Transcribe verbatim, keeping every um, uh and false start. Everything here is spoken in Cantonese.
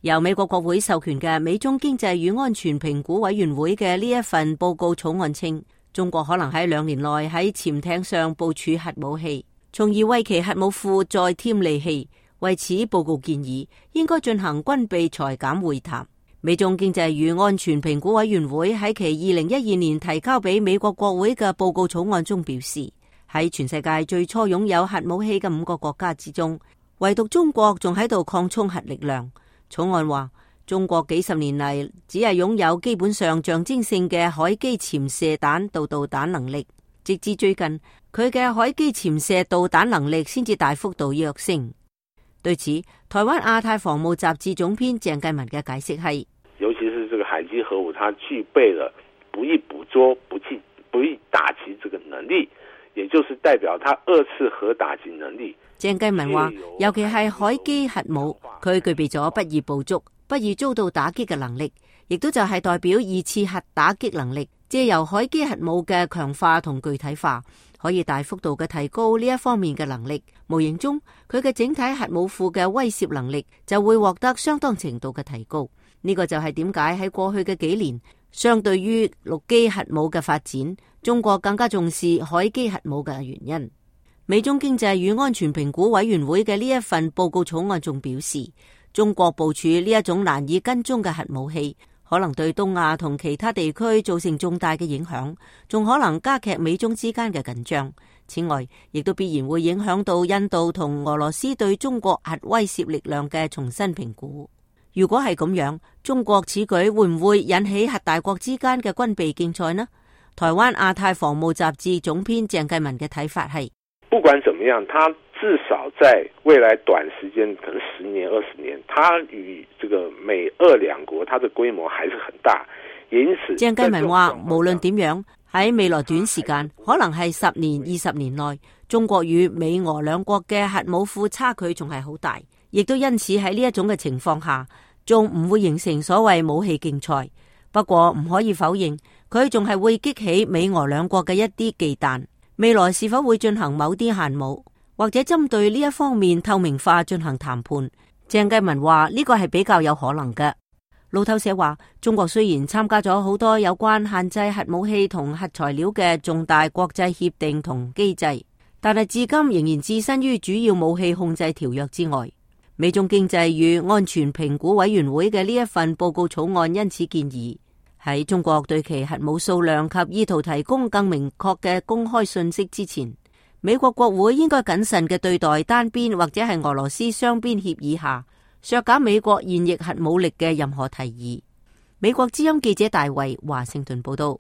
由美國國會授權嘅美中經濟與安全評估委員會嘅呢一份報告草案稱，中國可能喺兩年內喺潛艇上部署核武器，從而為其核武庫再添利器。為此，報告建議應該進行軍備裁減會談。美中經濟與安全評估委員會喺其二零一二年提交俾美國國會嘅報告草案中表示，喺全世界最初擁有核武器嘅五個國家之中，唯獨中國仲喺度擴充核力量。草案話，中國幾十年嚟只係擁有基本上象徵性嘅海基潛射彈道導彈能力，直至最近，佢嘅海基潛射導彈能力先至大幅度躍升。對此，台灣亞太防務雜誌總編鄭繼文嘅解釋係，尤其是這個海基核武，它具備了不易捕捉、不易不易打擊這個能力，也就是代表它二次核打擊能力。鄭繼文話，尤其係海基核武，佢具備咗不易捕捉、不易遭到打擊嘅能力，亦都就係代表二次核打擊能力。借由海基核武嘅強化同具體化，可以大幅度嘅提高呢一方面嘅能力。無形中，佢嘅整體核武庫嘅威懾能力就會獲得相當程度嘅提高。呢個就係點解喺過去嘅幾年，相對於陸基核武嘅發展，中國更加重視海基核武嘅原因。美中經濟與安全評估委員會嘅呢一份報告草案仲表示，中國部署呢一種難以跟蹤嘅核武器，可能對東亞同其他地區造成重大嘅影響，仲可能加劇美中之間嘅緊張。此外，亦都必然會影響到印度同俄羅斯對中國核威懾力量嘅重新評估。如果係咁樣，中國此舉會唔會引起核大國之間嘅軍備競賽呢？台灣亞太防務雜誌總編鄭繼文嘅睇法係，不管怎麼樣，它至少在未來短時間，可能十年、二十年，它與這個美俄兩國，它的規模還是很大。因此，鄭繼文話，無論點樣，喺未來短時間，可能係十年、二十年內，中國與美俄兩國嘅核武庫差距仲係好大，亦都因此喺呢一種嘅情況下，仲唔會形成所謂武器競賽。不過唔可以否認，佢仲係會激起美俄兩國嘅一啲忌憚。未來是否會進行某啲限武，或者針對呢一方面透明化進行談判？鄭繼文話呢個係比較有可能嘅。路透社話，中國雖然參加咗好多有關限制核武器同核材料嘅重大國際協定同機制，但係至今仍然置身於主要武器控制條約之外。美中經濟與安全評估委員會嘅呢一份報告草案因此建議，喺中國對其核武數量及意圖提供更明確嘅公開信息之前，美國國會應該謹慎嘅對待單邊或者係俄羅斯雙邊協議下削減美國現役核武力嘅任何提議。美國之音記者大衛華盛頓報道。